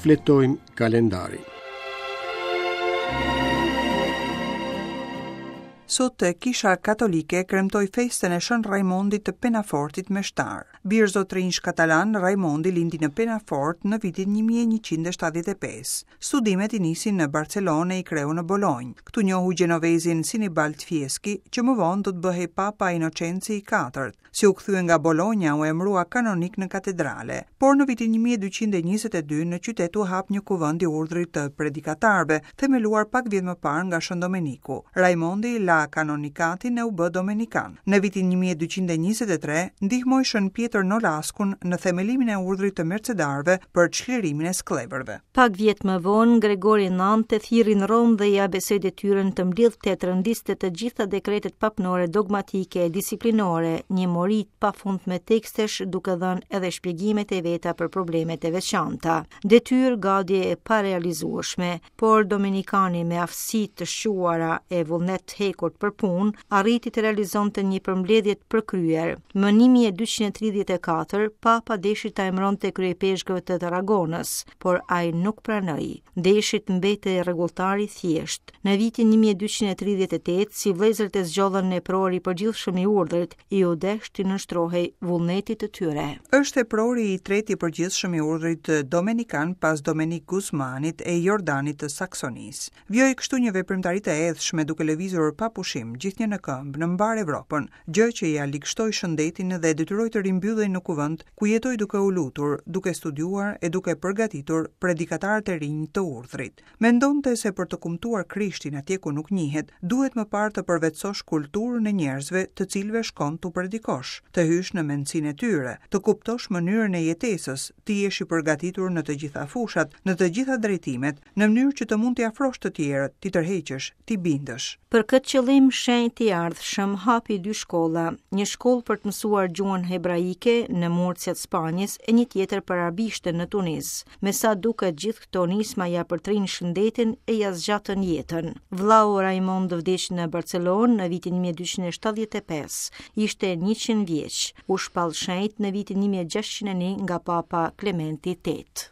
Shfletojmë kalendarin. Sot Kisha Katolike kremtoi festën e Shën Rajmondit të Penafortit meshtar. Bir zotërinjsh katalanë, Rajmondi lindi në Penafort në vitin 1175. Studimet i nisi në Barcelonë e i kreu në Bolonjë. Këtu njohu gjenovezin Sinibald Fieschi, që më vonë do të bëhej Papa Inocenci i IV. Si u kthye nga Bolonja, u emërua kanonik në katedrale. Por në vitin 1222 në qytet u hap një kuvend i urdhrit të predikatarëve, themeluar pak vjet më parë nga Shën Domeniku. Rajmondi la kanonikatin e u bë domenikan. Në vitin 1223 ndihmoi Shën Pjetër Nolaskun në themelimin e urdhrit të Mercedarëve për çlirimin e skllevërve. Pak vjet më vonë, Gregori IX e thirri në Romë dhe ia besoi detyrën të mblidhte e të rendiste të gjitha dekretet papnore dogmatike e disiplinore, një mori të pafundme tekstesh duke dhënë edhe shpjegimet e veta për problemet e veçanta. Detyrë gati e parealizueshme, por domenikani me aftësi të shquara e vullnet të hekurt për punë, arriti të realizonte një përmbledhje të përkryer. Më 1234, Papa deshi ta emëronte kryeipeshkëv të Tarragonës, por ai nuk pranoi. Deshi të mbetej rregulltar i thjeshtë. Në vitin 1238, si vëllezërit e zgjodhën epror i përgjithshëm i urdhrit, iu desh t'i nënshtrohej vullnetit të tyre. Është eprori i tretë i përgjithshëm i urdhrit domenikan pas Domenik Guzmanit e Jordanit të Saksonisë. Vijoi kështu një veprimtari të ethshme duke lëvizur pa pushim, gjithnjë në këmbë, në mbarë Evropën, gjë që ia ligështoi shëndetin dhe e detyroi të rimbyllej në kuvend, ku jetoi duke u lutur, duke studiuar e duke përgatitur predikatarët e rinj të urdhrit. Mendonte se për të kumtuar Krishtin atje ku nuk njihet, duhet më parë të përvetësosh kulturën e njerëzve të cilëve shkon t'u predikosh, të hysh në mendësinë e tyre, të kuptosh mënyrën e jetesës, të jesh i përgatitur në të gjitha fushat, në të gjitha drejtimet, në mënyrë që të mund t'i afrosh të tjerët, t'i tërheqësh, t'i bindësh. Për këtë qëllim, shenjti i ardhshëm hapi dy shkolla, një shkollë për të mësuar gjuhën hebraike në Murcia të Spanjës e një tjetër për arabishten në Tunis. Me sa duket gjithë këto nisma ia përtrinë shëndetin e ia zgjatën jetën. Vëllau Raimond vdiq në Barcelonë në vitin 1275. Ishte 100 vjeç. U shpall shenjt në vitin 1601 nga Papa Klementi VIII.